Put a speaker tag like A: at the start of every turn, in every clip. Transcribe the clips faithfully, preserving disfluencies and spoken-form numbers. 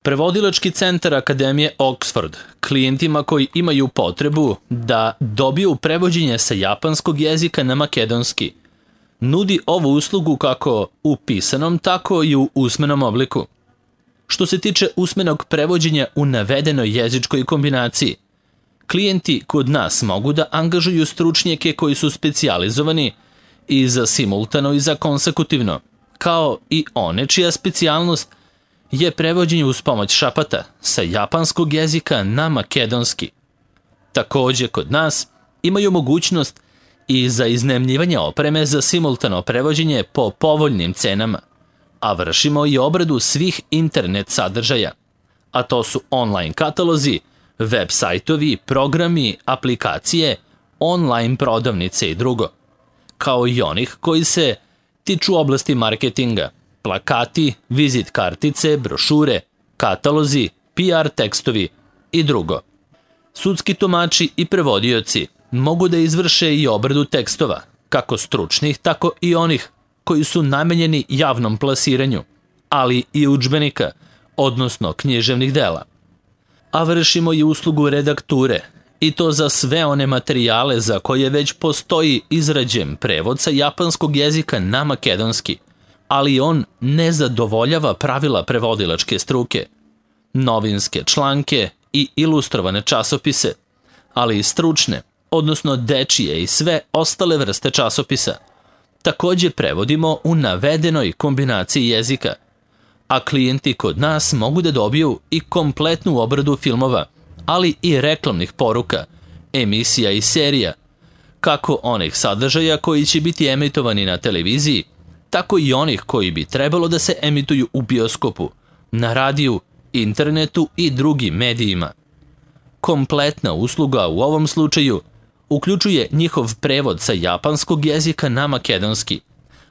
A: Prevodilački centar Akademije Oxford klijentima koji imaju potrebu da dobiju prevođenje sa japanskog jezika na makedonski nudi ovu uslugu kako u pisanom, tako i u usmenom obliku. Što se tiče usmenog prevođenja u navedenoj jezičkoj kombinaciji, klijenti kod nas mogu da angažuju stručnjake koji su specijalizovani i za simultano i za konsekutivno, kao i one čija specijalnost je prevođenje uz pomoć šapata sa japanskog jezika na makedonski. Takođe, kod nas imaju mogućnost i za iznajmljivanje opreme za simultano prevođenje po povoljnim cenama, a vršimo i obradu svih internet sadržaja, a to su online katalozi, web sajtovi, programi, aplikacije, online prodavnice i drugo, kao i onih koji se tiču oblasti marketinga, plakati, vizit kartice, brošure, katalozi, P R tekstovi i drugo. Sudski tumači i prevodioci mogu da izvrše i obradu tekstova, kako stručnih, tako i onih koji su namenjeni javnom plasiranju, ali i udžbenika, odnosno književnih dela. A vršimo i uslugu redakture, i to za sve one materijale za koje već postoji izrađen prevod sa japanskog jezika na makedonski, ali on ne zadovoljava pravila prevodilačke struke, novinske članke i ilustrovane časopise, ali i stručne, odnosno dečije i sve ostale vrste časopisa. Takođe prevodimo u navedenoj kombinaciji jezika, a klijenti kod nas mogu da dobiju i kompletnu obradu filmova, ali i reklamnih poruka, emisija i serija, kako onih sadržaja koji će biti emitovani na televiziji, tako i onih koji bi trebalo da se emituju u bioskopu, na radiju, internetu i drugim medijima. Kompletna usluga u ovom slučaju uključuje njihov prevod sa japanskog jezika na makedonski,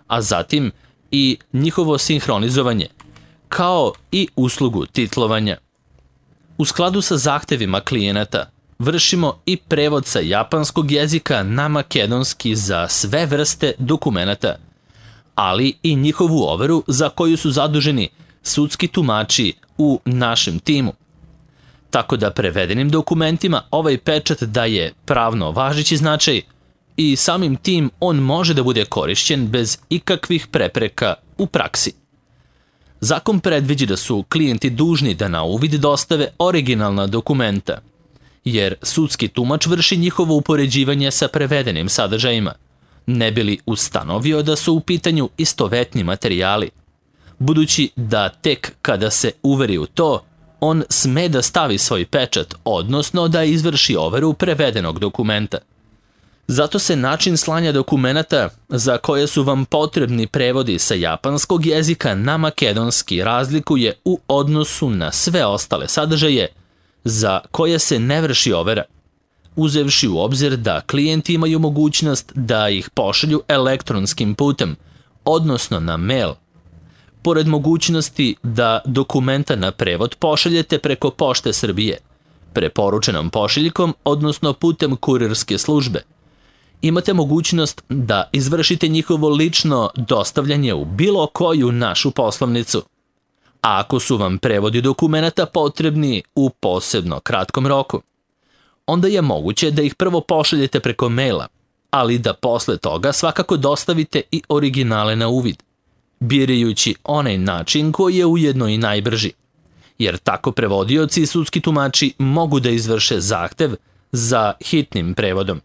A: a zatim i njihovo sinhronizovanje, kao i uslugu titlovanja. U skladu sa zahtevima klijenata vršimo i prevod sa japanskog jezika na makedonski za sve vrste dokumenata, ali i njihovu overu za koju su zaduženi sudski tumači u našem timu. Tako da prevedenim dokumentima ovaj pečat daje pravno važeći značaj i samim tim on može da bude korišćen bez ikakvih prepreka u praksi. Zakon predviđa da su klijenti dužni da na uvid dostave originalna dokumenta, jer sudski tumač vrši njihovo upoređivanje sa prevedenim sadržajima, ne bi li ustanovio da su u pitanju istovetni materijali, budući da tek kada se uveri u to, on sme da stavi svoj pečat, odnosno da izvrši overu prevedenog dokumenta. Zato se način slanja dokumenata za koje su vam potrebni prevodi sa japanskog jezika na makedonski razlikuje u odnosu na sve ostale sadržaje za koje se ne vrši overa, uzevši u obzir da klijenti imaju mogućnost da ih pošalju elektronskim putem, odnosno na mail. Pored mogućnosti da dokumenta na prevod pošaljete preko Pošte Srbije, preporučenom pošiljkom, odnosno putem kurirske službe, imate mogućnost da izvršite njihovo lično dostavljanje u bilo koju našu poslovnicu. A ako su vam prevodi dokumenata potrebni u posebno kratkom roku, onda je moguće da ih prvo pošaljete preko maila, ali da posle toga svakako dostavite i originale na uvid, birajući onaj način koji je ujedno i najbrži, jer tako prevodioci i sudski tumači mogu da izvrše zahtev za hitnim prevodom.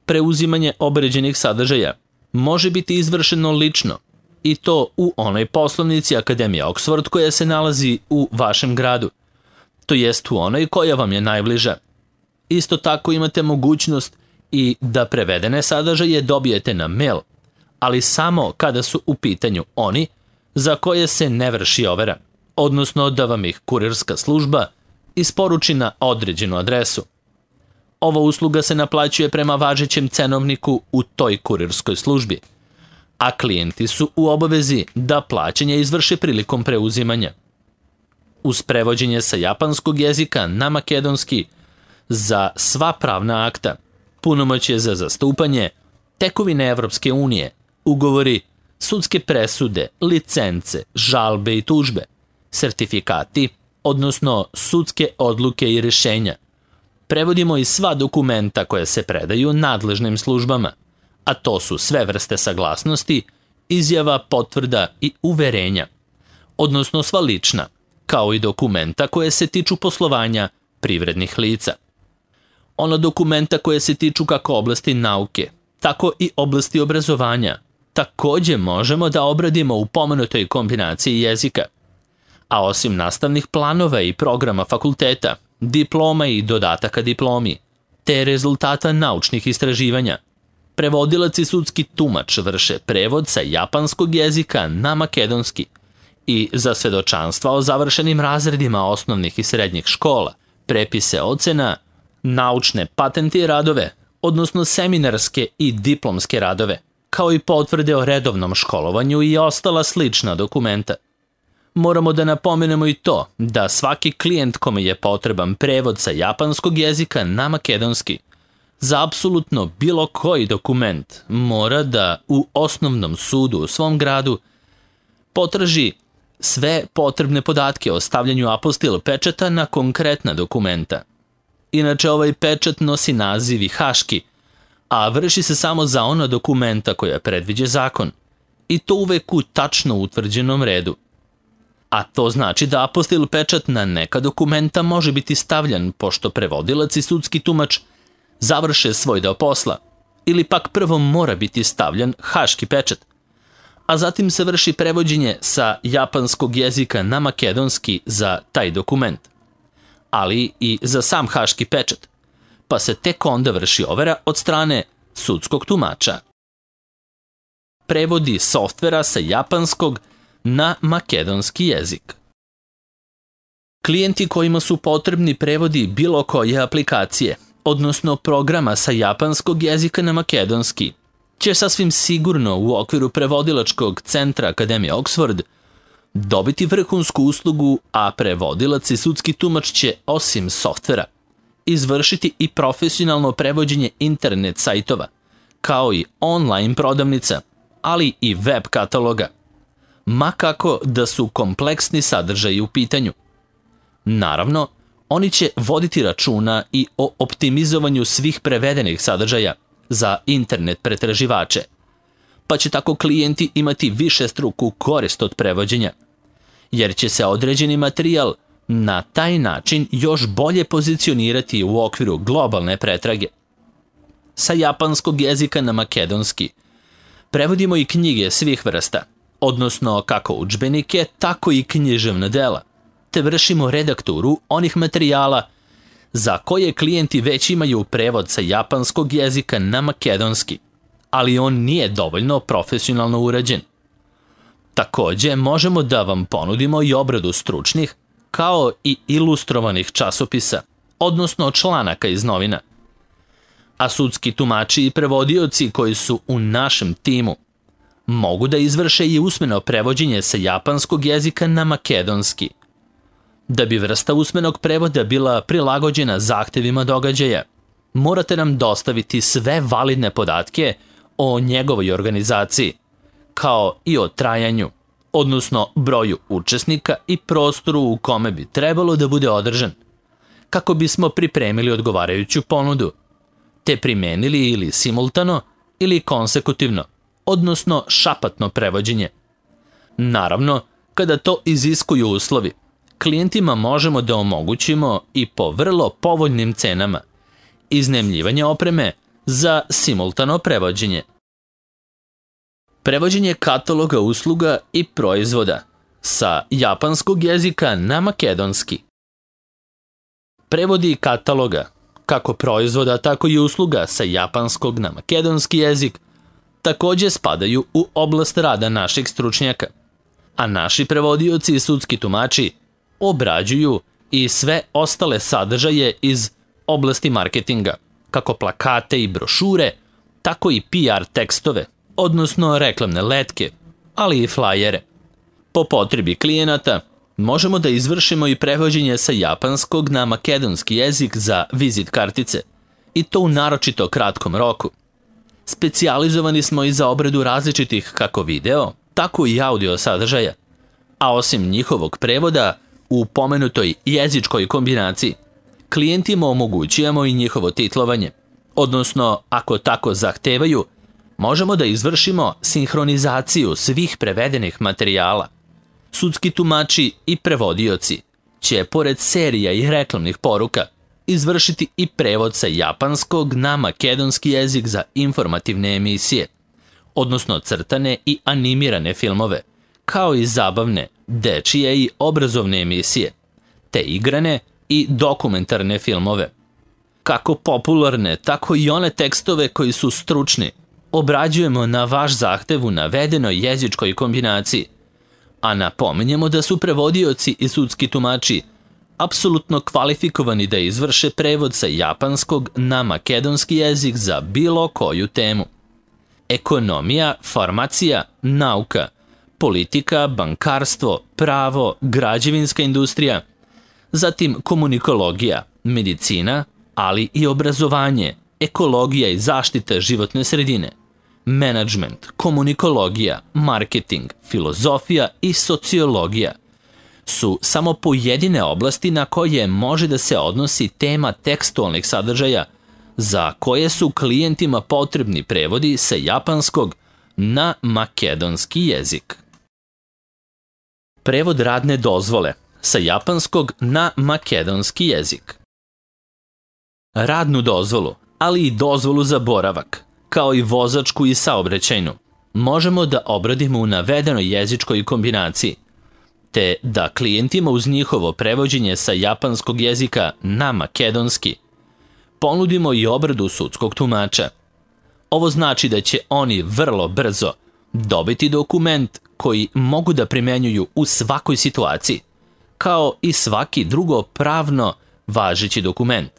A: Preuzimanje obređenih sadržaja može biti izvršeno lično, i to u onoj poslovnici Akademije Oxford koja se nalazi u vašem gradu, to jest u onoj koja vam je najbliža. Isto tako imate mogućnost i da prevedene sadržaje dobijete na mail, ali samo kada su u pitanju oni za koje se ne vrši overa, odnosno da vam ih kurirska služba isporuči na određenu adresu. Ova usluga se naplaćuje prema važećem cenovniku u toj kurirskoj službi, a klijenti su u obavezi da plaćanje izvrše prilikom preuzimanja. Uz prevođenje sa japanskog jezika na makedonski za sva pravna akta, punomoćje za zastupanje, tekovine Evropske unije, ugovori, sudske presude, licence, žalbe i tužbe, sertifikati, odnosno sudske odluke i rješenja. Prevodimo i sva dokumenta koja se predaju nadležnim službama, a to su sve vrste saglasnosti, izjava, potvrda i uverenja, odnosno sva lična, kao i dokumenta koje se tiču poslovanja privrednih lica. Ona dokumenta koje se tiču kako oblasti nauke, tako i oblasti obrazovanja, takođe možemo da obradimo u pomenutoj kombinaciji jezika. A osim nastavnih planova i programa fakulteta, diploma i dodataka diplomi, te rezultata naučnih istraživanja, prevodilac i sudski tumač vrše prevod sa japanskog jezika na makedonski i za svedočanstva o završenim razredima osnovnih i srednjih škola, prepise ocena, naučne patente i radove, odnosno seminarske i diplomske radove, kao i potvrde o redovnom školovanju i ostala slična dokumenta. Moramo da napomenemo i to da svaki klijent kome je potreban prevod sa japanskog jezika na makedonski za apsolutno bilo koji dokument mora da u osnovnom sudu u svom gradu potraži sve potrebne podatke o stavljanju apostil pečata na konkretna dokumenta. Inače, ovaj pečat nosi naziv i haški, a vrši se samo za ona dokumenta koja predviđa zakon, i to uvek u tačno utvrđenom redu. A to znači da apostil pečat na neka dokumenta može biti stavljan pošto prevodilac i sudski tumač završe svoj deo posla, ili pak prvo mora biti stavljan haški pečat, a zatim se vrši prevođenje sa japanskog jezika na makedonski za taj dokument, ali i za sam haški pečat, pa se tek onda vrši overa od strane sudskog tumača. Prevodi softvera sa japanskog na makedonski jezik. Klijenti kojima su potrebni prevodi bilo koje aplikacije, odnosno programa sa japanskog jezika na makedonski, će sasvim sigurno u okviru prevodilačkog centra Akademije Oxford dobiti vrhunsku uslugu, a prevodilac i sudski tumač će, osim softvera, izvršiti i profesionalno prevođenje internet sajtova, kao i online prodavnica, ali i web kataloga, ma kako da su kompleksni sadržaji u pitanju. Naravno, oni će voditi računa i o optimizovanju svih prevedenih sadržaja za internet pretraživače, pa će tako klijenti imati više struku korist od prevođenja, jer će se određeni materijal na taj način još bolje pozicionirati u okviru globalne pretrage. Sa japanskog jezika na makedonski prevodimo i knjige svih vrsta, odnosno kako udžbenike, tako i književna dela, te vršimo redakturu onih materijala za koje klijenti već imaju prevod sa japanskog jezika na makedonski, ali on nije dovoljno profesionalno urađen. Takođe, možemo da vam ponudimo i obradu stručnih, kao i ilustrovanih časopisa, odnosno članaka iz novina. A sudski tumači i prevodioci koji su u našem timu mogu da izvrše i usmeno prevođenje sa japanskog jezika na makedonski. Da bi vrsta usmenog prevoda bila prilagođena zahtevima događaja, morate nam dostaviti sve validne podatke o njegovoj organizaciji, kao i o trajanju, odnosno broju učesnika i prostoru u kome bi trebalo da bude održan, kako bismo pripremili odgovarajuću ponudu, te primenili ili simultano ili konsekutivno, odnosno šapatno prevođenje. Naravno, kada to iziskuju uslovi, klijentima možemo da omogućimo i po vrlo povoljnim cenama iznajmljivanje opreme za simultano prevođenje. Prevođenje kataloga usluga i proizvoda sa japanskog jezika na makedonski. Prevodi kataloga, kako proizvoda, tako i usluga sa japanskog na makedonski jezik, takođe spadaju u oblast rada naših stručnjaka, a naši prevodioci i sudski tumači obrađuju i sve ostale sadržaje iz oblasti marketinga, kako plakate i brošure, tako i P R tekstove, odnosno reklamne letke, ali i flajere. Po potrebi klijenata možemo da izvršimo i prevođenje sa japanskog na makedonski jezik za vizit kartice, i to u naročito kratkom roku. Specijalizovani smo i za obradu različitih kako video, tako i audio sadržaja, a osim njihovog prevoda, U pomenutoj jezičkoj kombinaciji klijentima omogućujemo i njihovo titlovanje, odnosno, ako tako zahtevaju, možemo da izvršimo sinhronizaciju svih prevedenih materijala. Sudski tumači i prevodioci će, pored serija i reklamnih poruka, izvršiti i prevod sa japanskog na makedonski jezik za informativne emisije, odnosno crtane i animirane filmove, kao i zabavne, dečije i obrazovne emisije, te igrane i dokumentarne filmove. Kako popularne, tako i one tekstove koji su stručni obrađujemo na vaš zahtev u navedenoj jezičkoj kombinaciji, a napominjemo da su prevodioci i sudski tumači apsolutno kvalifikovani da izvrše prevod sa japanskog na makedonski jezik za bilo koju temu. Ekonomija, farmacija, nauka, politika, bankarstvo, pravo, građevinska industrija, zatim komunikologija, medicina, ali i obrazovanje, ekologija i zaštita životne sredine, menadžment, komunikologija, marketing, filozofija i sociologija su samo pojedine oblasti na koje može da se odnosi tema tekstualnih sadržaja za koje su klijentima potrebni prevodi sa japanskog na makedonski jezik. Prevod radne dozvole sa japanskog na makedonski jezik. Radnu dozvolu, ali i dozvolu za boravak, kao i vozačku i saobraćajnu, možemo da obradimo u navedenoj jezičkoj kombinaciji, te da klijentima uz njihovo prevođenje sa japanskog jezika na makedonski ponudimo i obradu sudskog tumača. Ovo znači da će oni vrlo brzo dobiti dokument koji mogu da primenjuju u svakoj situaciji, kao i svaki drugo pravno važeći dokument.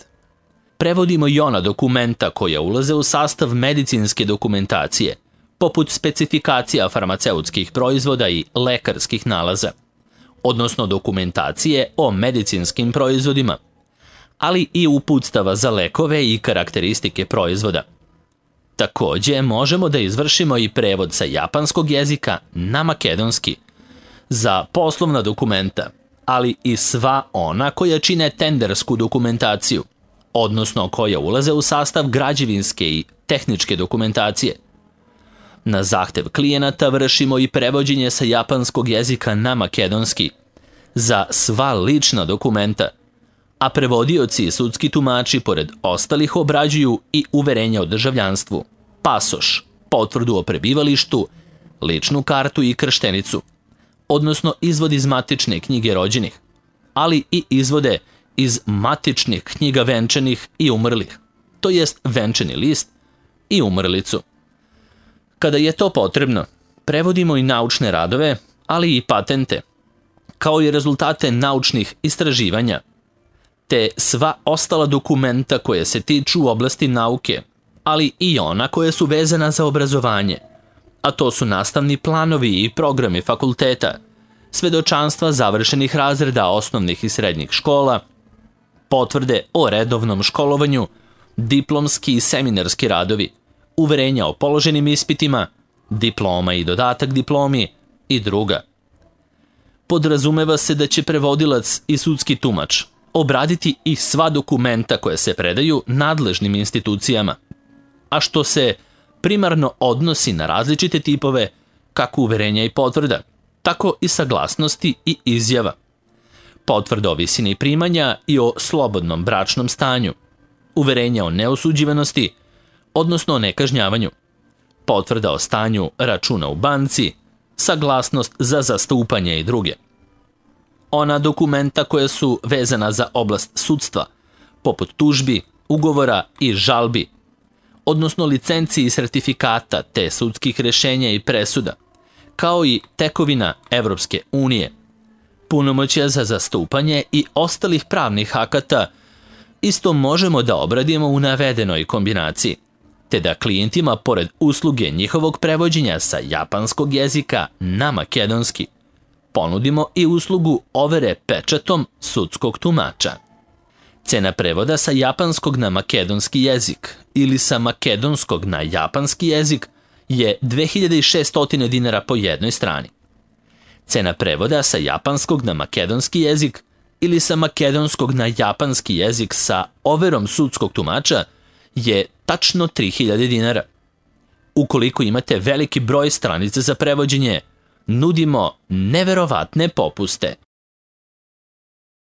A: Prevodimo i ona dokumenta koja ulaze u sastav medicinske dokumentacije, poput specifikacija farmaceutskih proizvoda i lekarskih nalaza, odnosno dokumentacije o medicinskim proizvodima, ali i uputstava za lekove i karakteristike proizvoda. Takođe, možemo da izvršimo i prevod sa japanskog jezika na makedonski za poslovna dokumenta, ali i sva ona koja čine tendersku dokumentaciju, odnosno koja ulaze u sastav građevinske i tehničke dokumentacije. Na zahtev klijenata vršimo i prevođenje sa japanskog jezika na makedonski za sva lična dokumenta, a prevodioci i sudski tumači pored ostalih obrađuju i uverenja o državljanstvu, pasoš, potvrdu o prebivalištu, ličnu kartu i krštenicu, odnosno izvod iz matične knjige rođenih, ali i izvode iz matičnih knjiga venčanih i umrlih, to jest venčani list i umrlicu. Kada je to potrebno, prevodimo i naučne radove, ali i patente, kao i rezultate naučnih istraživanja, te sva ostala dokumenta koje se tiču u oblasti nauke, ali i ona koja su vezana za obrazovanje, a to su nastavni planovi i programi fakulteta, svedočanstva završenih razreda osnovnih i srednjih škola, potvrde o redovnom školovanju, diplomski i seminarski radovi, uverenja o položenim ispitima, diploma i dodatak diplomi i druga. Podrazumeva se da će prevodilac i sudski tumač obraditi i sva dokumenta koje se predaju nadležnim institucijama, a što se primarno odnosi na različite tipove kako uverenja i potvrda, tako i saglasnosti i izjava, potvrda o visini primanja i o slobodnom bračnom stanju, uverenja o neosuđivanosti, odnosno o nekažnjavanju, potvrda o stanju računa u banci, saglasnost za zastupanje i druge. Ona dokumenta koja su vezana za oblast sudstva, poput tužbi, ugovora i žalbi, odnosno licenci i sertifikata te sudskih rešenja i presuda, kao i tekovina Evropske unije, punomoćja za zastupanje i ostalih pravnih akata, isto možemo da obradimo u navedenoj kombinaciji, te da klijentima, pored usluge njihovog prevođenja sa japanskog jezika na makedonski, ponudimo i uslugu overe pečatom sudskog tumača. Cena prevoda sa japanskog na makedonski jezik ili sa makedonskog na japanski jezik je dve hiljade šeststo dinara po jednoj strani. Cena prevoda sa japanskog na makedonski jezik ili sa makedonskog na japanski jezik sa overom sudskog tumača je tačno tri hiljade dinara. Ukoliko imate veliki broj stranica za prevođenje, nudimo neverovatne popuste.